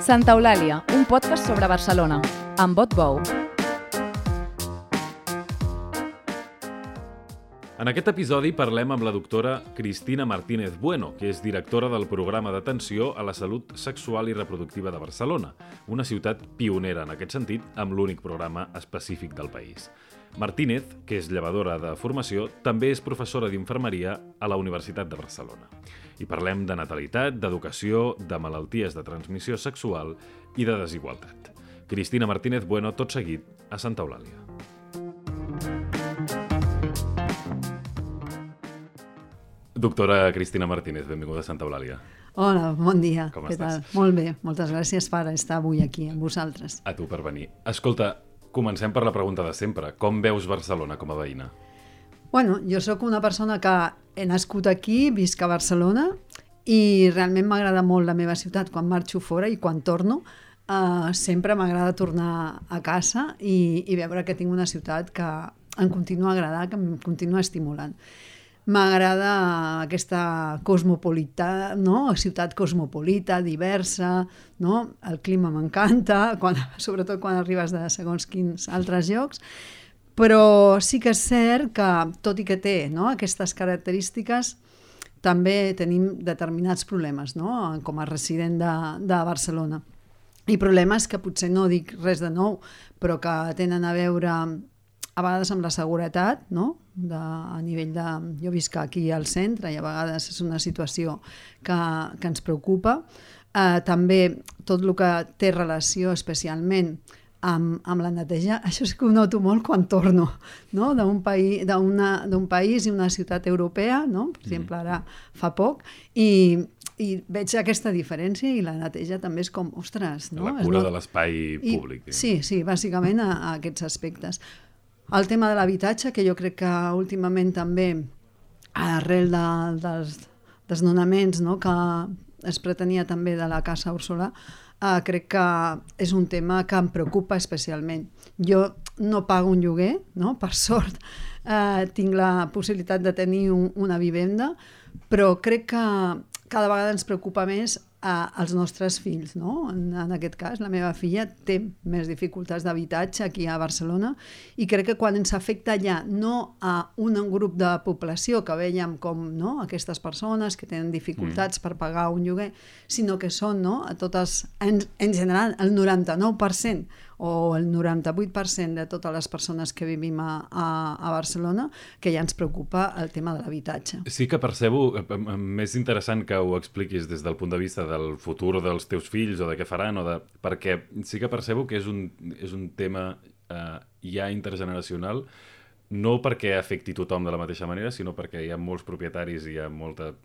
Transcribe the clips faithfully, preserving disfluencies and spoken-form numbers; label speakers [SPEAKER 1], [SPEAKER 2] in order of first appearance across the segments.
[SPEAKER 1] Santa Eulàlia, un podcast sobre Barcelona, amb Bot Bou.
[SPEAKER 2] En aquest episodi parlem amb la doctora Cristina Martínez Bueno, que és directora del programa d'atenció a la salut sexual i reproductiva de Barcelona, una ciutat pionera en aquest sentit, amb l'únic programa específic del país. Martínez, que és llevadora de formació, també és professora d'infermeria a la Universitat de Barcelona. I parlem de natalitat, d'educació, de malalties de transmissió sexual i de desigualtat. Cristina Martínez Bueno, tot seguit, a Santa Eulàlia. Doctora Cristina Martínez, benvinguda a Santa Eulàlia.
[SPEAKER 3] Hola, bon dia.
[SPEAKER 2] Com
[SPEAKER 3] Què
[SPEAKER 2] estàs?
[SPEAKER 3] tal? Molt bé, moltes gràcies per estar avui aquí amb vosaltres.
[SPEAKER 2] A tu per venir. Escolta, comencem per la pregunta de sempre. Com veus Barcelona com a veïna?
[SPEAKER 3] Bueno, jo sóc una persona que he nascut aquí, visc a Barcelona i realment m'agrada molt la meva ciutat quan marxo fora i quan torno. Uh, sempre m'agrada tornar a casa i, i veure que tinc una ciutat que em continua agradant, que em continua estimulant. M'agrada aquesta cosmopolita, no? Ciutat cosmopolita, diversa, no? El clima m'encanta, quan, sobretot quan arribes de segons quins altres llocs, però sí que és cert que, tot i que té, no? Aquestes característiques, també tenim determinats problemes, no? Com a resident de, de Barcelona. I problemes que potser no dic res de nou, però que tenen a veure a vegades amb la seguretat, no? De, a nivell de... Jo visc aquí al centre i a vegades és una situació que, que ens preocupa. Eh, també tot el que té relació especialment amb, amb la neteja, això sí que ho noto molt quan torno, no? D'un país, d'un país i una ciutat europea, no? Per exemple, ara fa poc, i, i veig aquesta diferència i la neteja també és com, ostres... No?
[SPEAKER 2] La cura
[SPEAKER 3] no...
[SPEAKER 2] de l'espai públic.
[SPEAKER 3] I, sí, sí, bàsicament a, a aquests aspectes. El tema de l'habitatge, que jo crec que últimament també, arrel de, dels desnonaments, no? Que es pretenia també de la Casa Úrsula, eh, crec que és un tema que em preocupa especialment. Jo no pago un lloguer, no? Per sort eh, tinc la possibilitat de tenir un, una vivenda, però crec que cada vegada ens preocupa més als nostres fills, no? En, en aquest cas, la meva filla té més dificultats d'habitatge aquí a Barcelona i crec que quan ens afecta ja no a un grup de població que veiem com, no? Aquestes persones que tenen dificultats mm. per pagar un lloguer, sinó que són, no? A totes, en, en general, el noranta-nou per cent o el noranta-vuit per cent de totes les persones que vivim a, a, a Barcelona, que ja ens preocupa el tema de l'habitatge.
[SPEAKER 2] Sí que percebo, més interessant que ho expliquis des del punt de vista del futur dels teus fills o de què faran, o de... perquè sí que percebo que és un, és un tema eh, ja intergeneracional, no perquè afecti tothom de la mateixa manera, sinó perquè hi ha molts propietaris i hi ha molta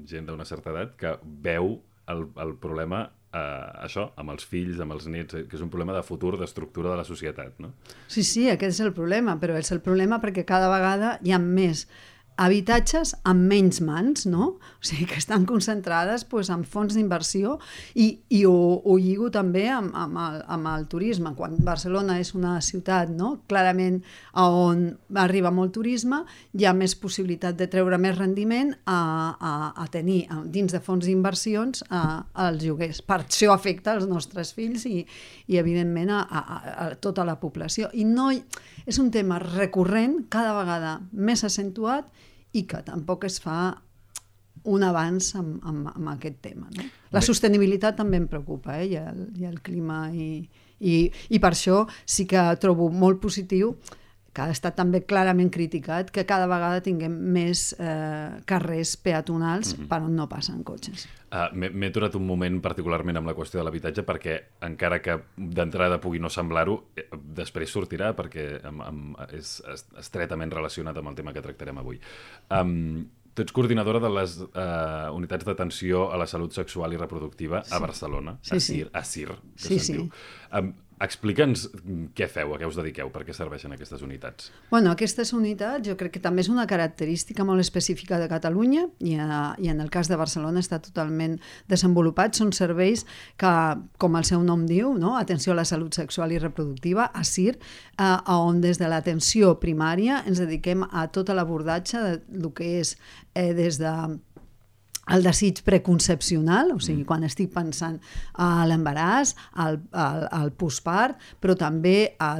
[SPEAKER 2] gent d'una certa edat que veu el, el problema eh, això, amb els fills, amb els nets, que és un problema de futur, d'estructura de la societat, no?
[SPEAKER 3] Sí, sí, aquest és el problema, però és el problema perquè cada vegada hi ha més habitatges amb menys mans, no? O sigui, que estan concentrades doncs, en fons d'inversió i, i ho, ho lligo també amb, amb, el, amb el turisme. Quan Barcelona és una ciutat, no? Clarament on arriba molt turisme, hi ha més possibilitat de treure més rendiment a, a, a tenir a, dins de fons d'inversions als lloguers. Per això afecta els nostres fills i, i evidentment, a, a, a tota la població. I no, és un tema recurrent, cada vegada més accentuat, i que tampoc es fa un avanç amb, amb, amb aquest tema. No? La sostenibilitat també em preocupa, eh? I, el, i el clima, i, i, i per això sí que trobo molt positiu, que ha estat també clarament criticat, que cada vegada tinguem més eh, carrers peatonals mm-hmm. per on no passen cotxes.
[SPEAKER 2] Uh, M'he aturat un moment particularment amb la qüestió de l'habitatge perquè, encara que d'entrada pugui no semblar-ho, després sortirà perquè amb, amb, és estretament relacionat amb el tema que tractarem avui. Um, tu ets coordinadora de les uh, unitats d'atenció a la salut sexual i reproductiva sí. a Barcelona,
[SPEAKER 3] sí,
[SPEAKER 2] a CIR,
[SPEAKER 3] sí.
[SPEAKER 2] a CIR, que
[SPEAKER 3] sí,
[SPEAKER 2] se'n
[SPEAKER 3] sí.
[SPEAKER 2] diu. Um, Explica'ns què feu, a què us dediqueu, per què serveixen aquestes unitats.
[SPEAKER 3] Bueno, aquestes unitats jo crec que també és una característica molt específica de Catalunya i, a, i en el cas de Barcelona està totalment desenvolupat. Són serveis que, com el seu nom diu, no? Atenció a la salut sexual i reproductiva, a CIR, eh, on des de l'atenció primària ens dediquem a tot l'abordatge del que és eh, des de el desig preconcepcional, o sigui, quan estic pensant a l'embaràs, al, al, al postpart, però també a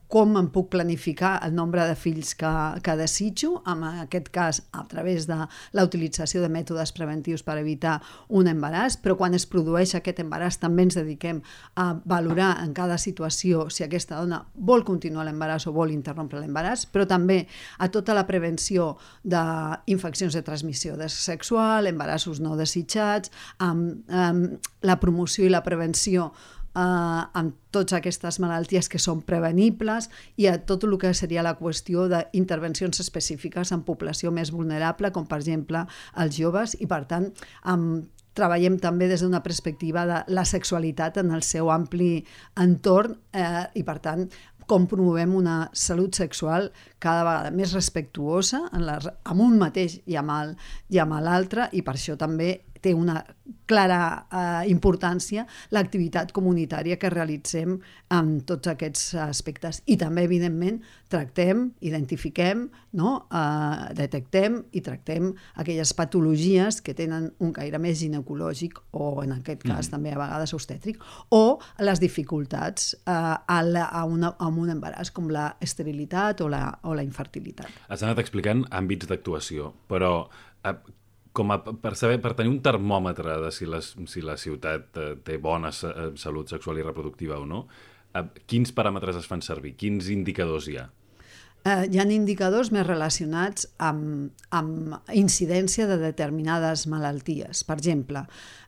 [SPEAKER 3] com em puc planificar el nombre de fills que, que desitjo, en aquest cas a través de la utilització de mètodes preventius per evitar un embaràs, però quan es produeix aquest embaràs també ens dediquem a valorar en cada situació si aquesta dona vol continuar l'embaràs o vol interrompre l'embaràs, però també a tota la prevenció d'infeccions de transmissió sexual, embarassos no desitjats, amb, amb la promoció i la prevenció Uh, amb totes aquestes malalties que són prevenibles i a tot el que seria la qüestió d'intervencions específiques en població més vulnerable, com per exemple els joves, i per tant um, treballem també des d'una perspectiva de la sexualitat en el seu ampli entorn eh, i per tant com promovem una salut sexual cada vegada més respectuosa en la, amb un mateix i amb, i amb l'altre, i per això també té una clara eh, importància l'activitat comunitària que realitzem en tots aquests aspectes. I també, evidentment, tractem, identifiquem, no? eh, detectem i tractem aquelles patologies que tenen un caire més ginecològic o, en aquest cas, mm. també a vegades obstètric, o les dificultats eh, a, la, a, una, a un embaràs, com la esterilitat o la, o la infertilitat.
[SPEAKER 2] Has anat explicant àmbits d'actuació, però eh, com a, per, saber, per tenir un termòmetre de si la, si la ciutat eh, té bona salut sexual i reproductiva o no, eh, quins paràmetres es fan servir? Quins indicadors hi ha?
[SPEAKER 3] Eh, hi ha indicadors més relacionats amb, amb incidència de determinades malalties. Per exemple,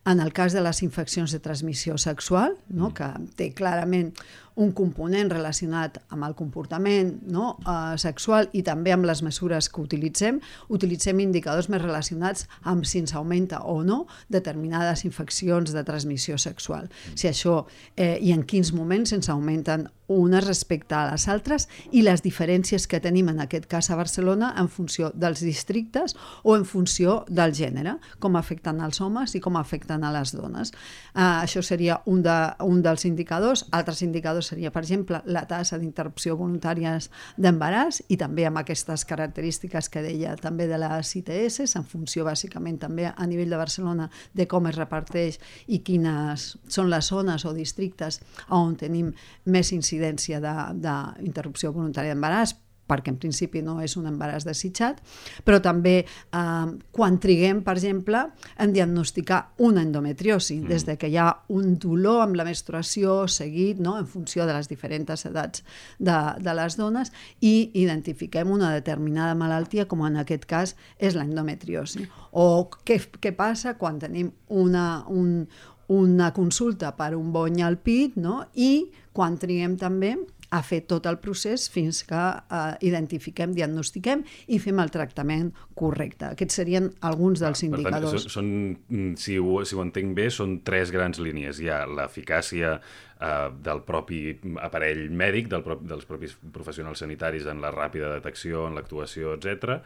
[SPEAKER 3] en el cas de les infeccions de transmissió sexual, no? mm. que té clarament un component relacionat amb el comportament, no? eh, sexual i també amb les mesures que utilitzem, utilitzem indicadors més relacionats amb si ens augmenta o no determinades infeccions de transmissió sexual. Mm. Si això eh, i en quins moments ens augmenten unes respecte a les altres i les diferències que tenim en aquest cas a Barcelona en funció dels districtes o en funció del gènere, com afecten els homes i com afecten a les dones. Uh, això seria un, de, un dels indicadors. Altres indicadors seria, per exemple, la tassa d'interrupció voluntàries d'embaràs i també amb aquestes característiques que deia també de les I T S, en funció bàsicament també a nivell de Barcelona de com es reparteix i quines són les zones o districtes on tenim més incidència d'interrupció voluntària d'embaràs, perquè en principi no és un embaràs desitjat, però també eh, quan triguem, per exemple, en diagnosticar una endometriosi, mm. des de que hi ha un dolor amb la menstruació seguit, no? En funció de les diferents edats de, de les dones, i identifiquem una determinada malaltia, com en aquest cas és l'endometriosi. O què, què passa quan tenim una, un, una consulta per un bony al pit, no? I quan triguem també a fer tot el procés fins que eh, identifiquem, diagnostiquem i fem el tractament correcte. Aquests serien alguns dels ah, indicadors.
[SPEAKER 2] Per tant, són, si, ho, si ho entenc bé, són tres grans línies. Hi ha l'eficàcia eh, del propi aparell mèdic, del, dels propis professionals sanitaris en la ràpida detecció, en l'actuació, etcètera.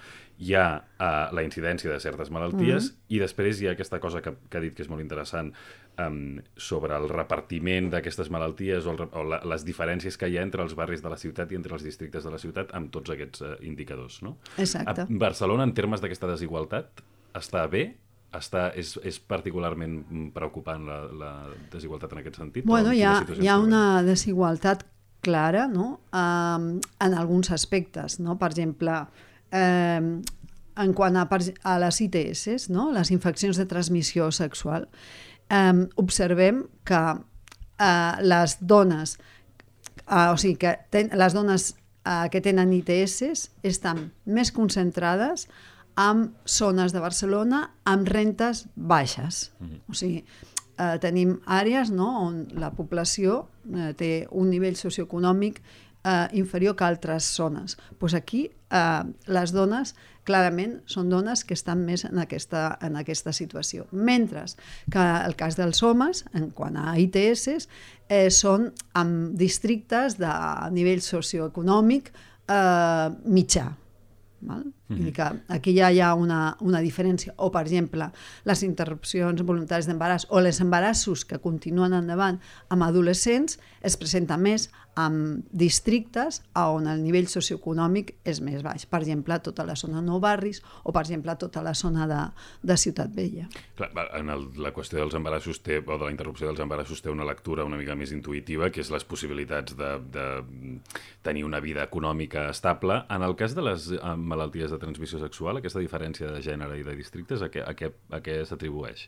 [SPEAKER 2] Hi ha eh, la incidència de certes malalties mm-hmm. i després hi ha aquesta cosa que, que ha dit que és molt interessant, Um, sobre el repartiment d'aquestes malalties o, el, o la, les diferències que hi ha entre els barris de la ciutat i entre els districtes de la ciutat amb tots aquests uh, indicadors, no?
[SPEAKER 3] Exacte.
[SPEAKER 2] A Barcelona, en termes d'aquesta desigualtat, està bé? Està, és, és particularment preocupant la, la desigualtat en aquest sentit?
[SPEAKER 3] Bueno, hi ha, hi ha una desigualtat clara, no? Um, en alguns aspectes, no? Per exemple, um, en quant a, a les I T S, no? Les infeccions de transmissió sexual, Um, observem que uh, les dones, uh, o sigui, que ten, les dones uh, que tenen I T S estan més concentrades en zones de Barcelona amb rentes baixes. Mm-hmm. O sigui, uh, tenim àrees, no?, on la població uh, té un nivell socioeconòmic uh, inferior que altres zones. Pues aquí uh, les dones clarament són dones que estan més en aquesta, en aquesta situació. Mentre que el cas dels homes, en quant a I T S, eh, són en districtes de nivell socioeconòmic eh, mitjà. Val? Mm-hmm. Vull dir que aquí ja hi ha una, una diferència. O, per exemple, les interrupcions voluntàries d'embaràs o els embarassos que continuen endavant amb adolescents es presenta més amb districtes on el nivell socioeconòmic és més baix. Per exemple, tota la zona de Nou Barris o, per exemple, tota la zona de, de Ciutat Vella.
[SPEAKER 2] Clar, en el, la qüestió dels embarassos té, o de la interrupció dels embarassos té una lectura una mica més intuïtiva, que és les possibilitats de, de tenir una vida econòmica estable. En el cas de les malalties de transmissió sexual, aquesta diferència de gènere i de districtes, a què, a què, a què s'atribueix?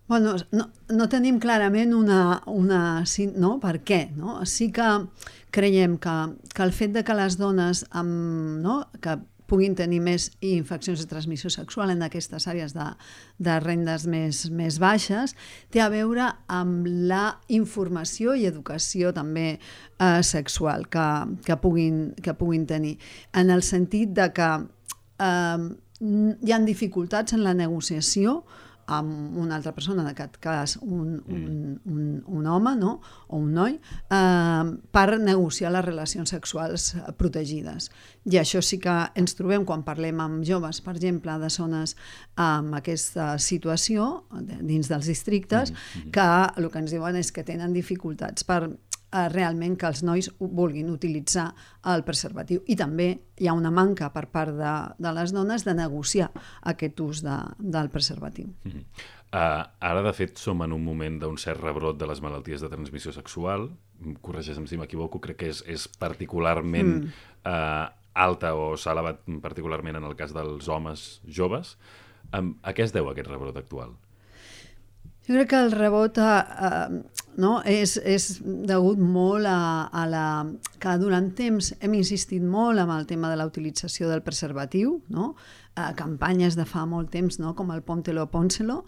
[SPEAKER 3] Bueno, no, no tenim clarament una... una no? Per què? No? Sí que creiem que, que el fet de que les dones amb, no? que puguin tenir més infeccions de transmissió sexual en aquestes àrees de, de rendes més, més baixes té a veure amb la informació i educació també eh, sexual que, que, puguin, que puguin tenir. En el sentit de que eh, hi ha dificultats en la negociació amb una altra persona, en aquest cas un, un, un, un home, no? O un noi, eh, per negociar les relacions sexuals protegides. I això sí que ens trobem quan parlem amb joves, per exemple, de zones amb aquesta situació, dins dels districtes, mm-hmm. que el que ens diuen és que tenen dificultats per eh, realment que els nois vulguin utilitzar el preservatiu. I també hi ha una manca per part de, de les dones de negociar aquest ús de, del preservatiu.
[SPEAKER 2] Mm-hmm. Uh, ara, de fet, som en un moment d'un cert rebrot de les malalties de transmissió sexual. Corregeix-me si m'equivoco, crec que és, és particularment mm. uh, alta o s'ha elevat particularment en el cas dels homes joves. Um, a què es deu aquest rebrot actual?
[SPEAKER 3] Jo crec que el rebot eh, no, és, és degut molt a, a la... que durant temps hem insistit molt amb el tema de la utilització del preservatiu, no? eh, campanyes de fa molt temps, no? Com el Póntelo, Pónselo.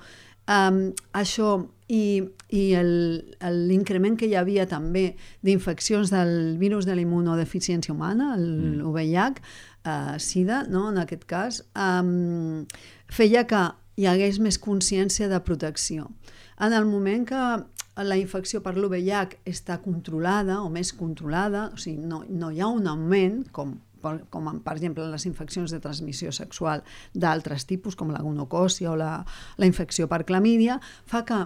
[SPEAKER 3] Um, això i, i l'increment que hi havia també d'infeccions del virus de la immunodeficiència humana, el mm. U V I H, uh, SIDA, no? En aquest cas, um, feia que hi hagués més consciència de protecció. En el moment que la infecció per l'U V I H està controlada o més controlada, o sigui, no, no hi ha un augment, com com per exemple les infeccions de transmissió sexual d'altres tipus, com la gonocòcia o la, la infecció per clamídia, fa que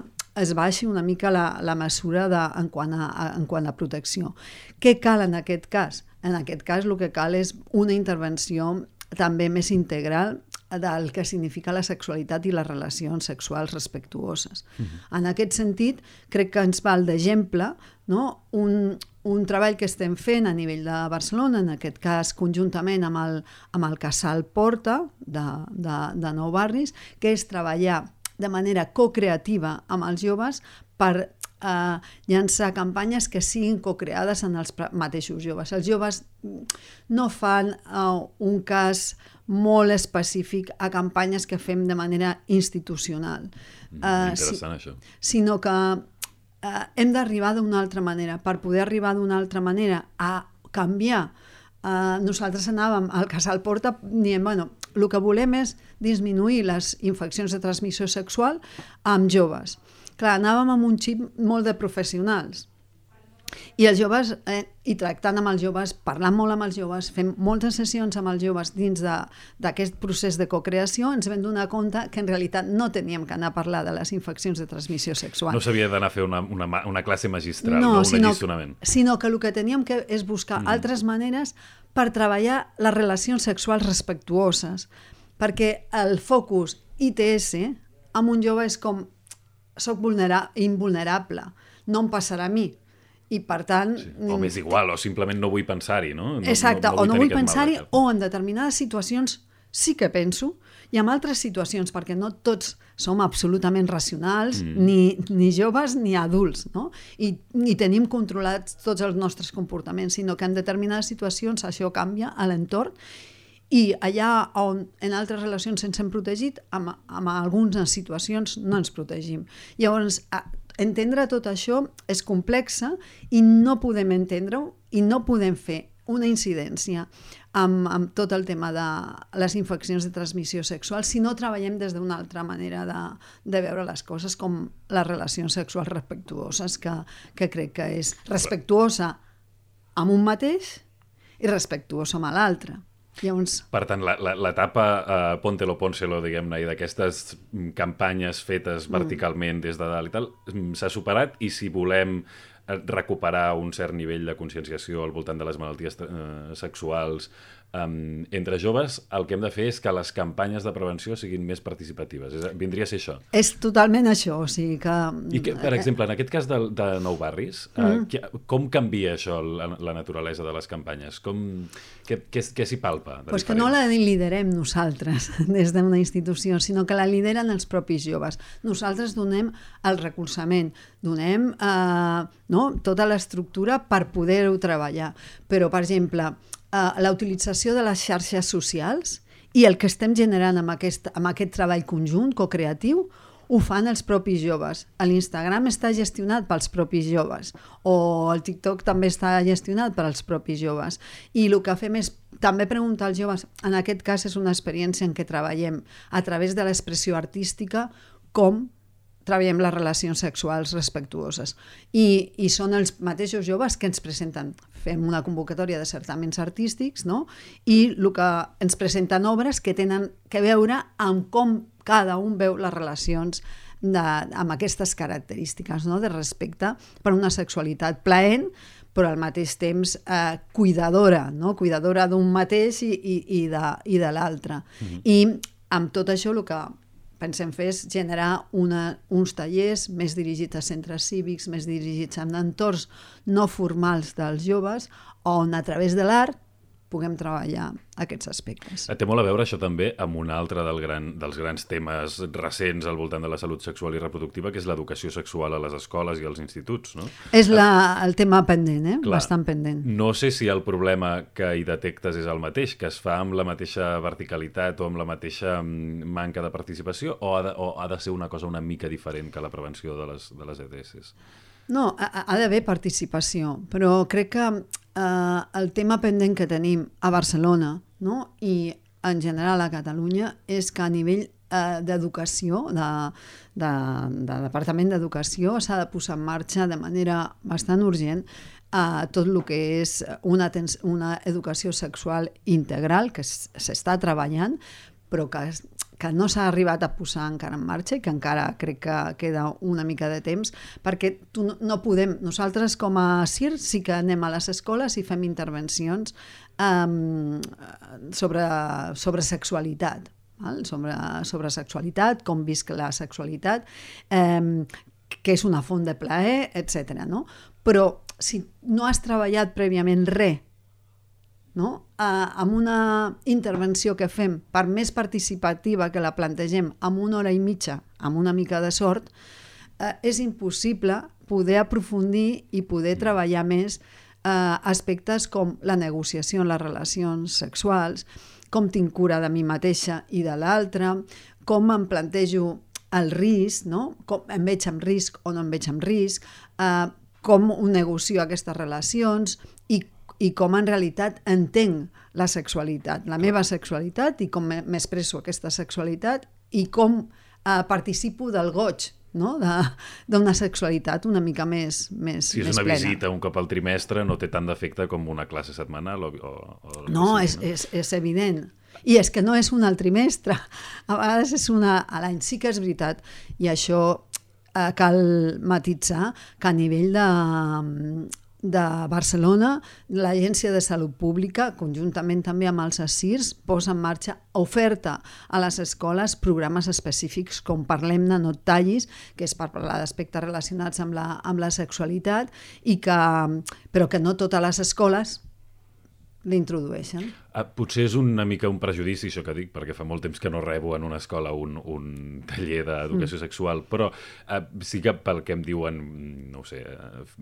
[SPEAKER 3] es baixi una mica la, la mesura de, en, quant a, en quant a protecció. Què cal en aquest cas? En aquest cas el que cal és una intervenció també més integral del que significa la sexualitat i les relacions sexuals respectuoses. Mm-hmm. En aquest sentit, crec que ens val d'exemple, no? un, un treball que estem fent a nivell de Barcelona, en aquest cas conjuntament amb el, amb el Casal Porta de, de, de Nou Barris, que és treballar de manera co-creativa amb els joves per eh, llançar campanyes que siguin co-creades en els mateixos joves. Els joves no fan eh, un cas molt específic a campanyes que fem de manera institucional.
[SPEAKER 2] Mm, interessant,
[SPEAKER 3] uh, si,
[SPEAKER 2] això.
[SPEAKER 3] Sinó que uh, hem d'arribar d'una altra manera. Per poder arribar d'una altra manera a canviar, uh, nosaltres anàvem al Casal Porta dient, bueno, el que volem és disminuir les infeccions de transmissió sexual amb joves. Clar, anàvem amb un xip molt de professionals. I els joves, eh, i tractant amb els joves, parlant molt amb els joves, fem moltes sessions amb els joves dins d'aquest procés de cocreació, ens vam donar compte que en realitat no teníem que anar a parlar de les infeccions de transmissió sexual.
[SPEAKER 2] No s'havia d'anar a fer una, una, una classe magistral, no, no un
[SPEAKER 3] sinó,
[SPEAKER 2] allisonament.
[SPEAKER 3] Sinó que el que teníem que és buscar mm. altres maneres per treballar les relacions sexuals respectuoses, perquè el focus I T S amb un jove és com soc vulnera- invulnerable, no em passarà a mi. I per tant...
[SPEAKER 2] Sí. O m'és igual, o simplement no vull pensar-hi, no? no
[SPEAKER 3] exacte,
[SPEAKER 2] no, no
[SPEAKER 3] o no vull
[SPEAKER 2] mal
[SPEAKER 3] pensar-hi, o en determinades situacions sí que penso, i en altres situacions, perquè no tots som absolutament racionals, mm. ni, ni joves ni adults, no? I, i tenim controlats tots els nostres comportaments, sinó que en determinades situacions això canvia a l'entorn, i allà on en altres relacions ens hem protegit, amb, amb algunes situacions no ens protegim. Llavors, entendre tot això és complexa i no podem entendre-ho i no podem fer una incidència amb, amb tot el tema de les infeccions de transmissió sexual si no treballem des d'una altra manera de, de veure les coses, com les relacions sexuals respectuoses, que, que crec que és respectuosa amb un mateix i respectuosa amb l'altre. Llavors...
[SPEAKER 2] Per tant, l'etapa uh, Póntelo, Pónselo, diguem-ne, i d'aquestes campanyes fetes verticalment des de dalt i tal, s'ha superat, i si volem recuperar un cert nivell de conscienciació al voltant de les malalties eh, sexuals um, entre joves, el que hem de fer és que les campanyes de prevenció siguin més participatives. És, vindria a ser això.
[SPEAKER 3] És totalment això, o sigui que...
[SPEAKER 2] I que, per exemple, en aquest cas de, de Nou Barris, mm. eh, que, com canvia això la, la naturalesa de les campanyes? Com, què què, què s'hi palpa?
[SPEAKER 3] Pues que no la liderem nosaltres des d'una institució, sinó que la lideren els propis joves. Nosaltres donem el recolzament, donem eh, no, tota l'estructura per poder-ho treballar. Però, per exemple, eh, la utilització de les xarxes socials i el que estem generant amb aquest, amb aquest treball conjunt, co-creatiu, ho fan els propis joves. L'Instagram està gestionat pels propis joves, o el TikTok també està gestionat pels propis joves. I el que fem és també preguntar als joves, en aquest cas és una experiència en què treballem a través de l'expressió artística, com treballem les relacions sexuals respectuoses. I, i són els mateixos joves que ens presenten. Fem una convocatòria de certaments artístics, no? I el que ens presenten obres que tenen que veure amb com cada un veu les relacions de, amb aquestes característiques, no? De respecte per una sexualitat plaent, però al mateix temps eh, cuidadora, no? Cuidadora d'un mateix i, i, i de, i de l'altre. Mm-hmm. I amb tot això el que pensem fer és generar una, uns tallers més dirigits a centres cívics, més dirigits a entorns no formals dels joves, on a través de l'art puguem treballar aquests aspectes.
[SPEAKER 2] Té molt a veure això també amb un altre del gran, dels grans temes recents al voltant de la salut sexual i reproductiva, que és l'educació sexual a les escoles i als instituts, no?
[SPEAKER 3] És la, el tema pendent, eh?
[SPEAKER 2] Clar,
[SPEAKER 3] bastant pendent.
[SPEAKER 2] No sé si el problema que hi detectes és el mateix, que es fa amb la mateixa verticalitat o amb la mateixa manca de participació, o ha de, o ha de ser una cosa una mica diferent que la prevenció de les, de les E D S?
[SPEAKER 3] No, ha, ha d'haver participació, però crec que eh, el tema pendent que tenim a Barcelona, no? I en general a Catalunya és que a nivell eh, d'educació, de, de, de Departament d'Educació, s'ha de posar en marxa de manera bastant urgent eh, tot el que és una, una educació sexual integral que s'està treballant, però que que no s'ha arribat a posar encara en marxa i que encara crec que queda una mica de temps, perquè tu no, no podem, nosaltres com a C I R sí que anem a les escoles i fem intervencions um, sobre, sobre sexualitat, val? Sobre, sobre sexualitat, com visc la sexualitat, um, que és una font de plaer, etcètera. No? Però si no has treballat prèviament res, no? Uh, amb una intervenció que fem per més participativa que la plantegem amb una hora i mitja, amb una mica de sort, uh, és impossible poder aprofundir i poder treballar més uh, aspectes com la negociació en les relacions sexuals, com tinc cura de mi mateixa i de l'altra, com em plantejo el risc, no? Com em veig amb risc o no em veig amb risc, uh, com ho negocio aquestes relacions i i com en realitat entenc la sexualitat, la meva sexualitat i com m'expresso aquesta sexualitat i com eh, participo del goig, no? D'una sexualitat una mica més, més,
[SPEAKER 2] si és
[SPEAKER 3] més
[SPEAKER 2] una
[SPEAKER 3] plena.
[SPEAKER 2] Visita un cop al trimestre no té tant d'efecte com una classe setmanal o, o, o
[SPEAKER 3] no,
[SPEAKER 2] sigui,
[SPEAKER 3] és,
[SPEAKER 2] no?
[SPEAKER 3] És, és evident. I és que no és una al trimestre, a vegades és una a l'any. Sí que és veritat, i això eh, cal matitzar, que a nivell de de Barcelona, l'Agència de Salut Pública, conjuntament també amb els A S I R S, posa en marxa oferta a les escoles programes específics com Parlem-ne, no et tallis, que és per parlar d'aspectes relacionats amb la, amb la sexualitat, i que, però que no totes les escoles l'introdueixen.
[SPEAKER 2] Ah, potser és una mica un prejudici, això que dic, perquè fa molt temps que no rebo en una escola un, un taller d'educació mm. sexual, però ah, sí que pel que em diuen, no ho sé,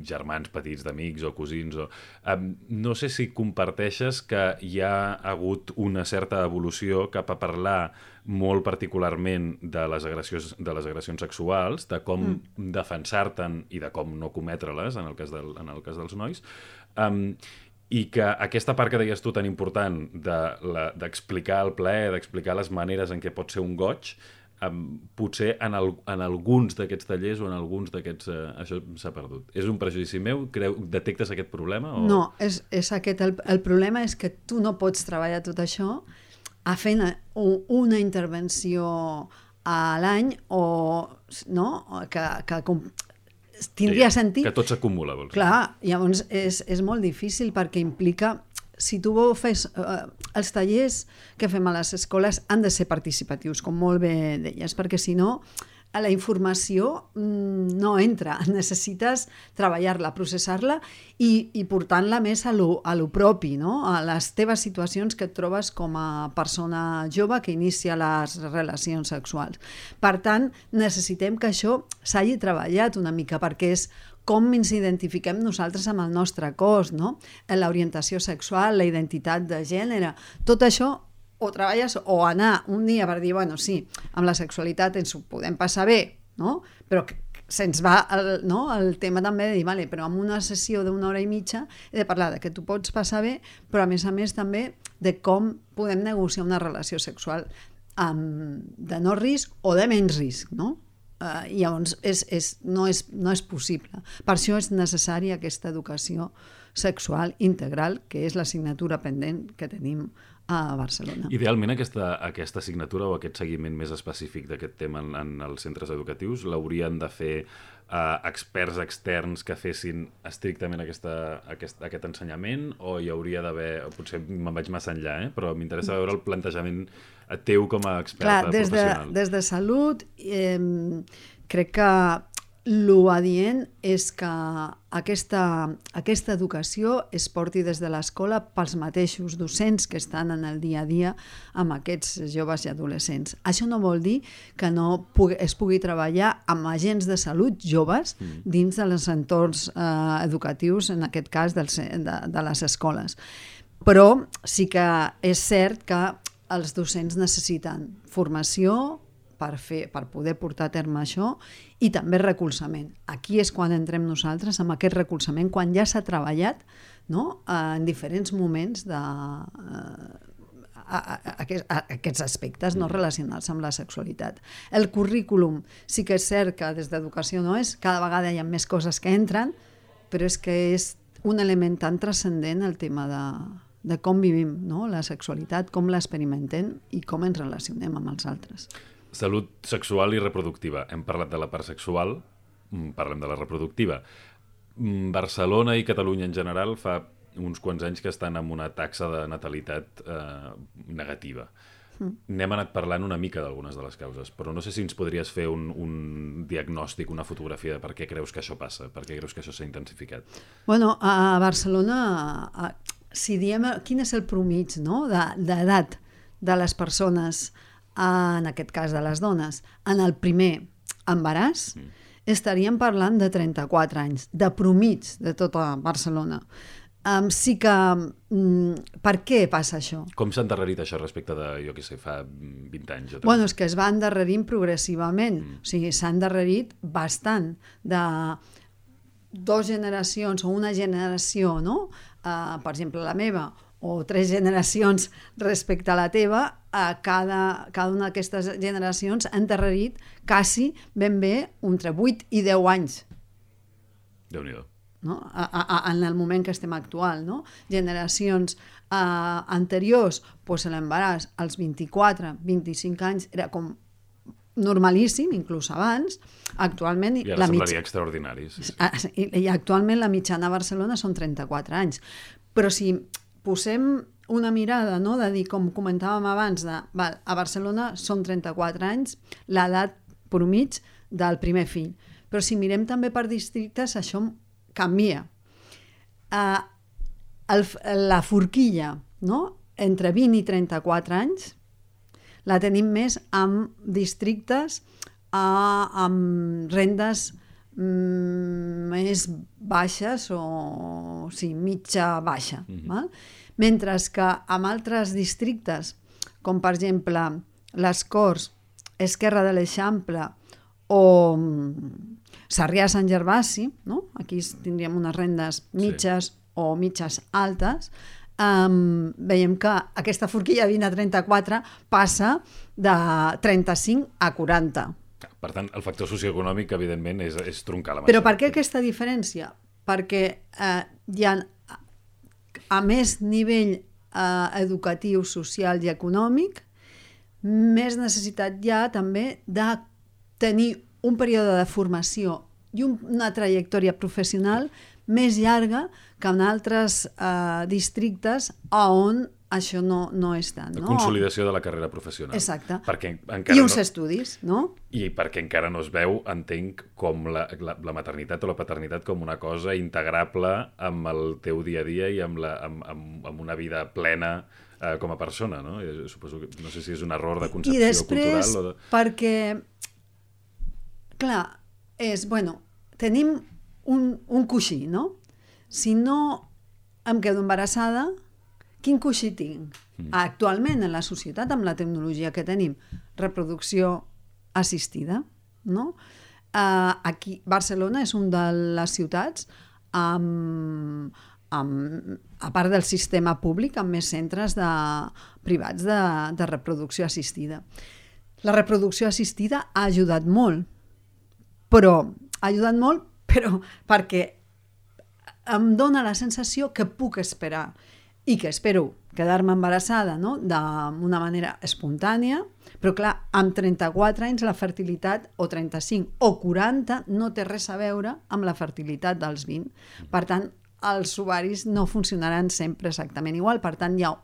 [SPEAKER 2] germans petits d'amics o cosins, o, ah, no sé si comparteixes que hi ha hagut una certa evolució cap a parlar molt particularment de les agressions, de les agressions sexuals, de com mm. defensar-te'n i de com no cometre-les, en el cas del, en el cas dels nois, um, i que aquesta part que deies tu tan important d'explicar de el plaer, d'explicar les maneres en què pot ser un goig, Um, potser en, el, en alguns d'aquests tallers o en alguns d'aquests... Uh, això s'ha perdut. És un prejudici meu? Creu, detectes aquest problema? O...
[SPEAKER 3] No, és, és aquest. El, el problema és que tu no pots treballar tot això a fent una intervenció a l'any o no? que, que com, tindria
[SPEAKER 2] sí,
[SPEAKER 3] sentit.
[SPEAKER 2] Que tot s'acumula, vols dir.
[SPEAKER 3] Clar, llavors és, és molt difícil perquè implica... Si tu fes... Eh, els tallers que fem a les escoles han de ser participatius, com molt bé deies, perquè si no, la informació mm, no entra. Necessites treballar-la, processar-la i, i portant-la més a lo, a lo propi, no? A les teves situacions que et trobes com a persona jove que inicia les relacions sexuals. Per tant, necessitem que això s'hagi treballat una mica, perquè és com ens identifiquem nosaltres amb el nostre cos, no? L'orientació sexual, la identitat de gènere, tot això o treballes o anar un dia per dir, bueno, sí, amb la sexualitat ens ho podem passar bé, no? Però se'ns va el, no? el tema també de dir, vale, però en una sessió d'una hora i mitja he de parlar de que tu pots passar bé, però a més a més també de com podem negociar una relació sexual amb, de no risc o de menys risc, no? Uh, i llavors és, és, no, és, no és possible. Per això és necessària aquesta educació sexual integral, que és l'assignatura pendent que tenim a Barcelona.
[SPEAKER 2] Idealment aquesta, aquesta assignatura o aquest seguiment més específic d'aquest tema en, en els centres educatius l'haurien de fer uh, experts externs que fessin estrictament aquesta, aquest, aquest ensenyament, o hi hauria d'haver, potser me'n vaig massa enllà, eh? Però m'interessa veure el plantejament teu com a experta
[SPEAKER 3] Clar, des
[SPEAKER 2] professional.
[SPEAKER 3] De, des de salut eh, crec que l'adient és que aquesta, aquesta educació es porti des de l'escola pels mateixos docents que estan en el dia a dia amb aquests joves i adolescents. Això no vol dir que no pugui, es pugui treballar amb agents de salut joves mm. dins dels entorns eh, educatius, en aquest cas dels, de, de les escoles. Però sí que és cert que els docents necessiten formació per, fer, per poder portar a terme això i també recolzament. Aquí és quan entrem nosaltres amb aquest recolzament, quan ja s'ha treballat, no? en diferents moments de, eh, a, a, a, a aquests aspectes no relacionats amb la sexualitat. El currículum sí que és cert que des d'educació no és, cada vegada hi ha més coses que entren, però és que és un element tan transcendent el tema de, de com vivim, no? La sexualitat, com l'experimentem i com ens relacionem amb els altres.
[SPEAKER 2] Salut sexual i reproductiva. Hem parlat de la part sexual, parlem de la reproductiva. Barcelona i Catalunya en general fa uns quants anys que estan amb una taxa de natalitat eh, negativa. Mm. N'hem anat parlant una mica d'algunes de les causes, però no sé si ens podries fer un, un diagnòstic, una fotografia de per què creus que això passa, per què creus que això s'ha intensificat.
[SPEAKER 3] Bueno, a Barcelona, a, si diem quin és el promig, no? d'edat de les persones, en aquest cas de les dones, en el primer embaràs, mm. estaríem parlant de trenta-quatre anys, de promig de tota Barcelona. Um, sí que... Um, per què passa això?
[SPEAKER 2] Com s'ha endarrerit això respecte de, jo què sé, fa vint anys? O
[SPEAKER 3] bueno, és que es va endarrerint progressivament. Mm. O sigui, s'ha endarrerit bastant de dues generacions o una generació, no? Uh, per exemple, la meva, o tres generacions respecte a la teva, a cada, cada una d'aquestes generacions ha endarrerit quasi ben bé entre vuit i deu anys.
[SPEAKER 2] Déu-n'hi-do.
[SPEAKER 3] No? A, a, en el moment que estem actual, no? Generacions eh, anteriors, doncs l'embaràs als vint-i-quatre, vint-i-cinc anys era com normalíssim, inclús abans. Actualment...
[SPEAKER 2] I ara
[SPEAKER 3] la
[SPEAKER 2] semblaria
[SPEAKER 3] mitja...
[SPEAKER 2] extraordinari. Sí, sí.
[SPEAKER 3] I, I actualment la mitjana a Barcelona són trenta-quatre anys. Però si posem una mirada, no? De dir, com comentàvem abans, de, val, a Barcelona són trenta-quatre anys, l'edat promig del primer fill. Però si mirem també per districtes, això canvia. Uh, el, la forquilla, no? Entre vint i trenta-quatre anys la tenim més amb districtes uh, amb rendes mm, més baixes o, o sí, mitja baixa. Mm-hmm. Val? Mentre que amb altres districtes, com per exemple les Corts, Esquerra de l'Eixample o Sarrià-Sant Gervasi, no? Aquí tindríem unes rendes mitges sí. o mitges altes, um, veiem que aquesta forquilla vint a trenta-quatre passa de trenta-cinc a quaranta.
[SPEAKER 2] Per tant, el factor socioeconòmic, evidentment, és, és troncar la massa.
[SPEAKER 3] Però per què aquesta diferència? Perquè eh, hi ha, a més nivell eh, educatiu, social i econòmic, més necessitat hi ha també de tenir un període de formació i un, una trajectòria professional més llarga que en altres eh, districtes on això no, no és tant.
[SPEAKER 2] La
[SPEAKER 3] no?
[SPEAKER 2] consolidació de la carrera professional.
[SPEAKER 3] Exacte.
[SPEAKER 2] Perquè encara
[SPEAKER 3] I uns
[SPEAKER 2] no...
[SPEAKER 3] estudis, no?
[SPEAKER 2] I perquè encara no es veu, entenc, com la, la, la maternitat o la paternitat com una cosa integrable amb el teu dia a dia i amb, la, amb, amb, amb una vida plena eh, com a persona, no? I suposo que, no sé si és un error de concepció
[SPEAKER 3] I després,
[SPEAKER 2] cultural o de...
[SPEAKER 3] perquè, clar, és, bueno, tenim un, un coixí, no? Si no em quedo embarassada, quin coixí tinc? Mm. Actualment, en la societat, amb la tecnologia que tenim, reproducció assistida, no? Uh, aquí, Barcelona és una de les ciutats amb, amb, a part del sistema públic, amb més centres de, privats de, de reproducció assistida. La reproducció assistida ha ajudat molt, però ha ajudat molt però perquè em dóna la sensació que puc esperar i que espero quedar-me embarassada, no? D'una manera espontània, però clar, amb trenta-quatre anys la fertilitat, o trenta-cinc o quaranta, no té res a veure amb la fertilitat dels vint. Per tant, els ovaris no funcionaran sempre exactament igual, per tant, hi ha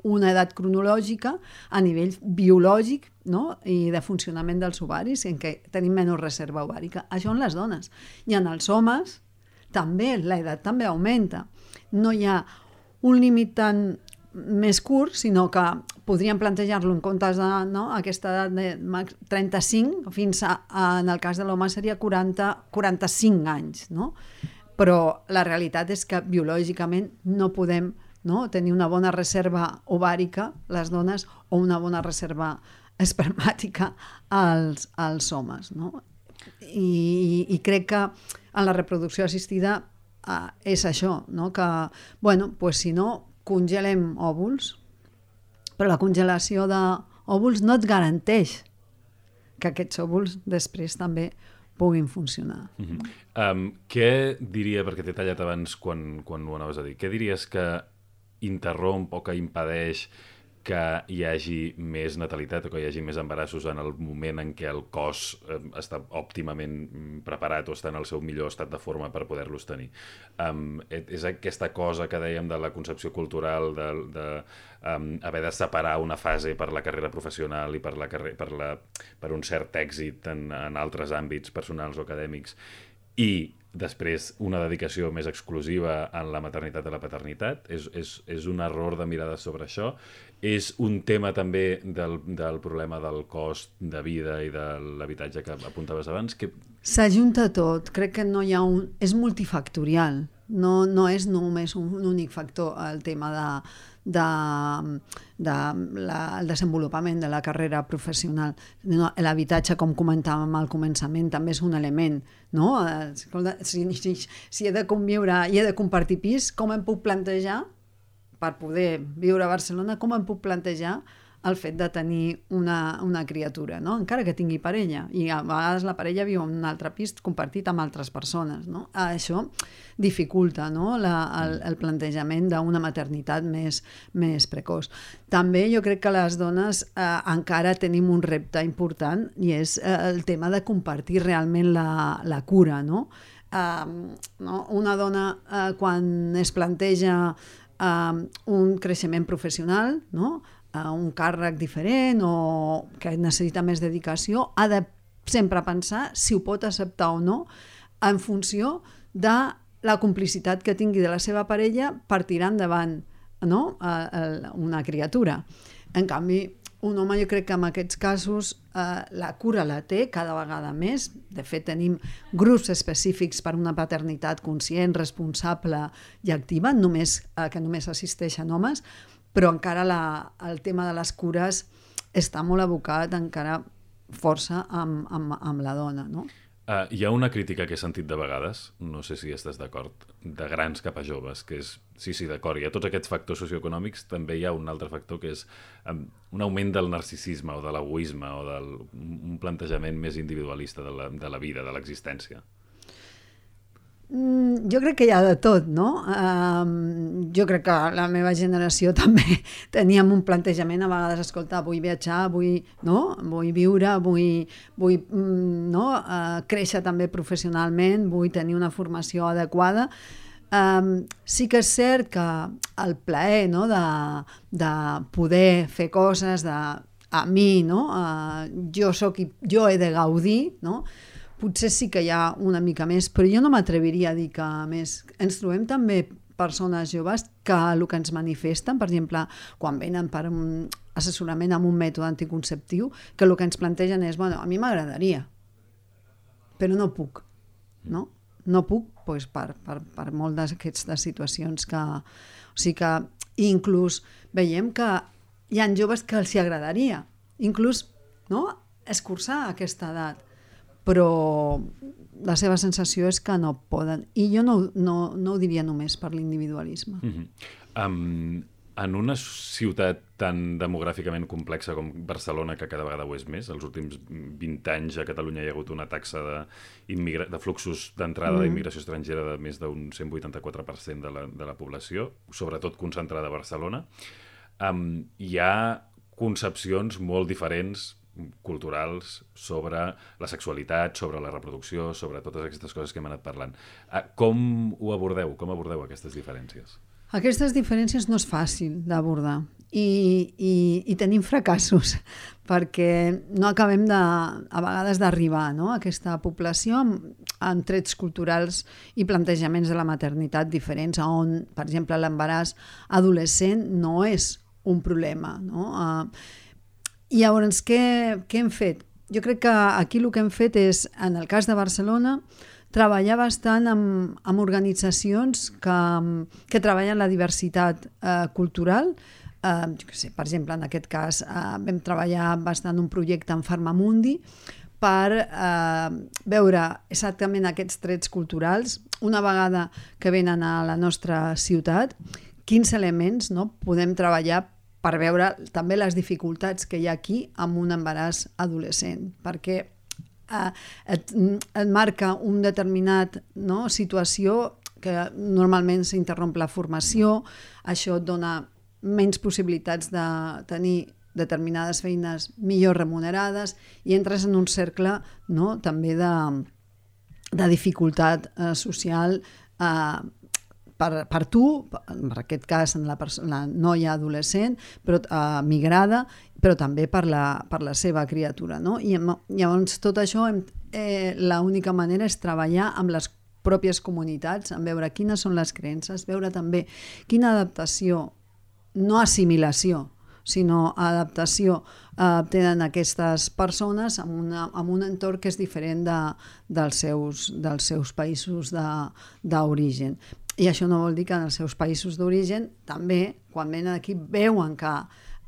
[SPEAKER 3] una edat cronològica a nivell biològic, no? I de funcionament dels ovaris, en què tenim menys reserva ovàrica. Això en les dones. I en els homes també, l'edat també augmenta. No hi ha un límit tan més curt, sinó que podríem plantejar-lo en comptes de no, aquesta edat de trenta-cinc, fins a, en el cas de l'home seria quaranta a quaranta-cinc anys, no? Però la realitat és que biològicament no podem no, tenir una bona reserva ovàrica, les dones, o una bona reserva espermàtica als, als homes, no? I, i crec que en la reproducció assistida eh, és això, no? Que, bueno, pues si no, congelem òvuls, però la congelació d'òvuls no et garanteix que aquests òvuls després també puguin funcionar.
[SPEAKER 2] Mm-hmm. um, què diria, perquè t'he tallat abans quan, quan ho anaves a dir, què diries que interromp o que impedeix que hi hagi més natalitat o que hi hagi més embarassos en el moment en què el cos eh, està òptimament preparat o està en el seu millor estat de forma per poder-los tenir? Um, és aquesta cosa que dèiem de la concepció cultural, de, de um, haver de separar una fase per la carrera professional i per, la carre per, la, per un cert èxit en, en altres àmbits personals o acadèmics, i després una dedicació més exclusiva en la maternitat i la paternitat? És, és, és un error de mirada sobre això? És un tema també del, del problema del cost de vida i de l'habitatge que apuntaves abans? Que...
[SPEAKER 3] S'ajunta tot, crec que no hi ha un... és multifactorial, no, no és només un, un únic factor el tema de, de, de la, el desenvolupament de la carrera professional. No, l'habitatge, com comentàvem al començament, també és un element, no? Si, si, si he de conviure i he de compartir pis, com em puc plantejar per poder viure a Barcelona, com em puc plantejar el fet de tenir una, una criatura, no? Encara que tingui parella, i a vegades la parella viu en un altre pis compartit amb altres persones, no? Això dificulta, no? la, el, el plantejament d'una maternitat més, més precoç. També jo crec que les dones eh, encara tenim un repte important, i és eh, el tema de compartir realment la, la cura, no? Eh, no? Una dona eh, quan es planteja Uh, un creixement professional, no? uh, un càrrec diferent o que necessita més dedicació, ha de sempre pensar si ho pot acceptar o no en funció de la complicitat que tingui de la seva parella per tirar endavant, no? uh, uh, una criatura. En canvi, un home, jo crec que en aquests casos eh, la cura la té cada vegada més. De fet, tenim grups específics per una paternitat conscient, responsable i activa, només, eh, que només assisteixen homes, però encara la, el tema de les cures està molt abocat encara força amb, amb, amb la dona, no?
[SPEAKER 2] Uh, hi ha una crítica que he sentit de vegades, no sé si estàs d'acord, de grans cap a joves, que és, sí, sí, d'acord, hi ha tots aquests factors socioeconòmics, també hi ha un altre factor que és um, un augment del narcisisme o de l'egoisme o del, un plantejament més individualista de la, de la vida, de l'existència.
[SPEAKER 3] Mm, jo crec que hi ha de tot, no? Um, jo crec que la meva generació també teníem un plantejament a vegades, escolta, vull viatjar, vull, no? vull viure, vull, vull mm, no? uh, créixer també professionalment, vull tenir una formació adequada. Um, sí que és cert que el plaer, no? de, de poder fer coses, de, a mi, no? uh, jo, soc, jo he de gaudir, no? Potser sí que hi ha una mica més, però jo no m'atreviria a dir que més. Ens trobem també persones joves que el que ens manifesten, per exemple, quan venen per un assessorament amb un mètode anticonceptiu, que el que ens plantegen és, bueno, a mi m'agradaria, però no puc, no? No puc doncs, per, per, per molt d'aquestes situacions que... O sigui que inclús veiem que hi ha joves que els hi agradaria, inclús no? escurçar aquesta edat, però la seva sensació és que no poden. I jo no, no, no ho diria només per l'individualisme.
[SPEAKER 2] Mm-hmm. um, en una ciutat tan demogràficament complexa com Barcelona, que cada vegada ho és més, els últims vint anys a Catalunya hi ha hagut una taxa de, de fluxos d'entrada mm. d'immigració estrangera de més d'un cent vuitanta-quatre per cent de la, de la població, sobretot concentrada a Barcelona, um, hi ha concepcions molt diferents culturals sobre la sexualitat, sobre la reproducció, sobre totes aquestes coses que hem anat parlant. Com ho abordeu? Com abordeu aquestes diferències?
[SPEAKER 3] Aquestes diferències no és fàcil d'abordar i, i, i tenim fracassos perquè no acabem de, a vegades d'arribar, no? a aquesta població amb, amb trets culturals i plantejaments de la maternitat diferents, on, per exemple, l'embaràs adolescent no és un problema, no? Uh, I llavors, què, què hem fet? Jo crec que aquí el que hem fet és, en el cas de Barcelona, treballar bastant amb, amb organitzacions que, que treballen la diversitat eh, cultural. Eh, jo què sé, per exemple, en aquest cas eh, vam treballar bastant un projecte en Farmamundi per eh, veure exactament aquests trets culturals, una vegada que venen a la nostra ciutat, quins elements no, podem treballar per veure també les dificultats que hi ha aquí amb un embaràs adolescent, perquè eh, et, et marca un determinat no, situació que normalment s'interromp la formació, això et dona menys possibilitats de tenir determinades feines millor remunerades i entres en un cercle no, també de, de dificultat eh, social eh, Per, per tu, en aquest cas en la, la noia adolescent, però uh, migrada, però també per la, per la seva criatura. No? I llavors tot això, eh, l'única manera és treballar amb les pròpies comunitats, en veure quines són les creences, veure també quina adaptació, no assimilació, sinó adaptació eh, tenen aquestes persones en, una, en un entorn que és diferent de, dels, seus, dels seus països d'origen. I això no vol dir que en els seus països d'origen també, quan venen aquí, veuen que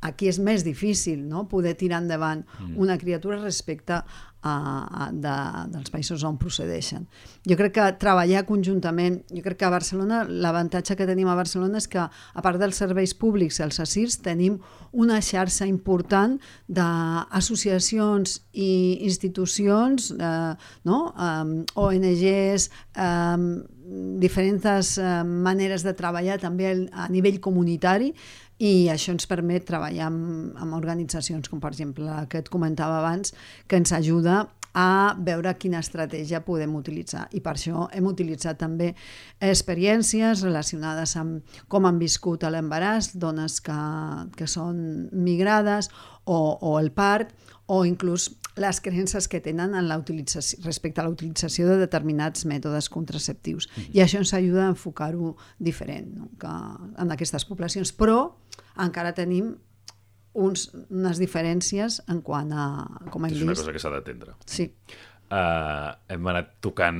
[SPEAKER 3] aquí és més difícil no? poder tirar endavant mm. una criatura respecte a, a, de, dels països on procedeixen. Jo crec que treballar conjuntament, jo crec que a Barcelona, l'avantatge que tenim a Barcelona és que, a part dels serveis públics, els ASIRS, tenim una xarxa important d'associacions i institucions, eh, no? um, O N Ges, um, diferents eh, maneres de treballar també a nivell comunitari, i això ens permet treballar amb, amb organitzacions com per exemple la que et comentava abans, que ens ajuda a veure quina estratègia podem utilitzar, i per això hem utilitzat també experiències relacionades amb com han viscut l'embaràs, dones que, que són migrades o, o el part, o inclús les creences que tenen en la utilització, respecte a la utilització de determinats mètodes contraceptius. Mm-hmm. I això ens ajuda a enfocar-ho diferent no? que en aquestes poblacions, però encara tenim uns, unes diferències en quant a com hem vist.
[SPEAKER 2] És una cosa que s'ha d'atendre.
[SPEAKER 3] Sí.
[SPEAKER 2] Uh, hem anat tocant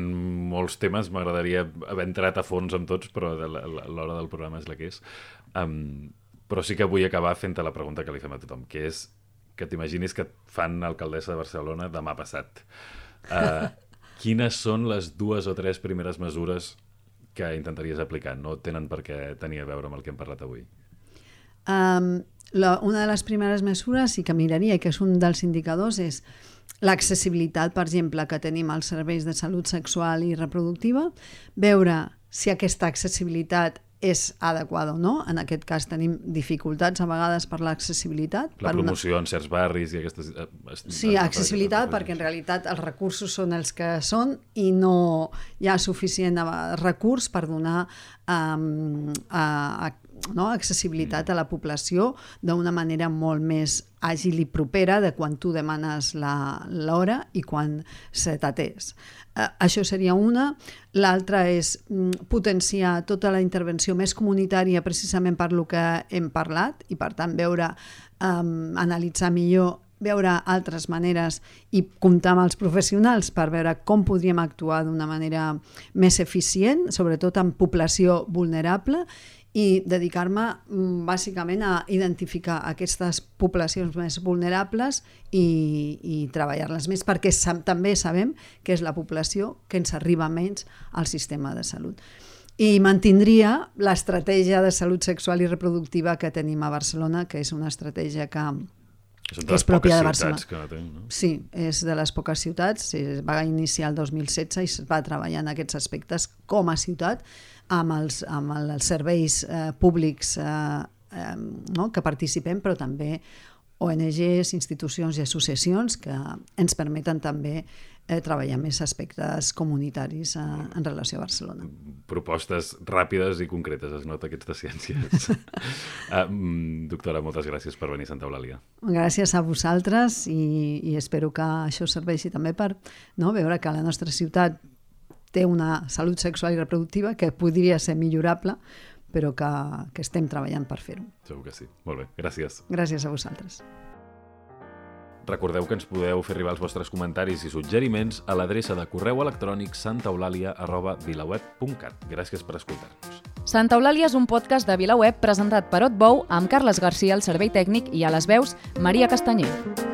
[SPEAKER 2] molts temes, m'agradaria haver entrat a fons amb tots, però l'hora del programa és la que és. Um, però sí que vull acabar fent-te la pregunta que li fem a tothom, que és que t'imaginis que et fan alcaldessa de Barcelona demà passat. Uh, Quines són les dues o tres primeres mesures que intentaries aplicar? No tenen per què tenir a veure amb el que hem parlat avui.
[SPEAKER 3] Um, la, una de les primeres mesures i que miraria, i que és un dels indicadors, és l'accessibilitat, per exemple, que tenim als serveis de salut sexual i reproductiva, veure si aquesta accessibilitat és adequada o no. En aquest cas tenim dificultats a vegades per l'accessibilitat.
[SPEAKER 2] La
[SPEAKER 3] per
[SPEAKER 2] promoció
[SPEAKER 3] una...
[SPEAKER 2] en certs barris i aquestes...
[SPEAKER 3] Sí, accessibilitat, perquè en realitat els recursos són els que són i no hi ha suficient recurs per donar um, a, a, no, accessibilitat a la població d'una manera molt més àgil i propera de quan tu demanes l'hora i quan se t'atès. Uh, això seria una. L'altra és mm, potenciar tota la intervenció més comunitària precisament per lo que hem parlat i per tant veure, um, analitzar millor, veure altres maneres i comptar amb els professionals per veure com podríem actuar d'una manera més eficient, sobretot en població vulnerable, i dedicar-me bàsicament a identificar aquestes poblacions més vulnerables i, i treballar-les més, perquè sa- també sabem que és la població que ens arriba menys al sistema de salut. I mantindria l'estratègia de salut sexual i reproductiva que tenim a Barcelona, que és una estratègia que,
[SPEAKER 2] Són
[SPEAKER 3] que és pròpia de Barcelona.
[SPEAKER 2] que tenc, no?
[SPEAKER 3] Sí, és de les poques ciutats, es va iniciar el dos mil setze i es va treballar en aquests aspectes com a ciutat, amb els, amb els serveis eh, públics eh, eh, no? que participem, però també O N Ges, institucions i associacions que ens permeten també eh, treballar més aspectes comunitaris eh, en relació a Barcelona.
[SPEAKER 2] Propostes ràpides i concretes, es nota aquestes ciències. uh, doctora, moltes gràcies per venir a Santa Eulàlia.
[SPEAKER 3] Gràcies a vosaltres i, i espero que això serveixi també per no, veure que la nostra ciutat té una salut sexual i reproductiva que podria ser millorable, però que, que estem treballant per fer-ho.
[SPEAKER 2] Segur que sí. Molt bé, gràcies.
[SPEAKER 3] Gràcies a vosaltres.
[SPEAKER 2] Recordeu que ens podeu fer arribar els vostres comentaris i suggeriments a l'adreça de correu electrònic santaeulàlia arroba vilaweb punt cat. Gràcies per escoltar-nos.
[SPEAKER 1] Santa Eulàlia és un podcast de VilaWeb presentat per Otbou amb Carles Garcia al servei tècnic i a les veus Maria Castanyer.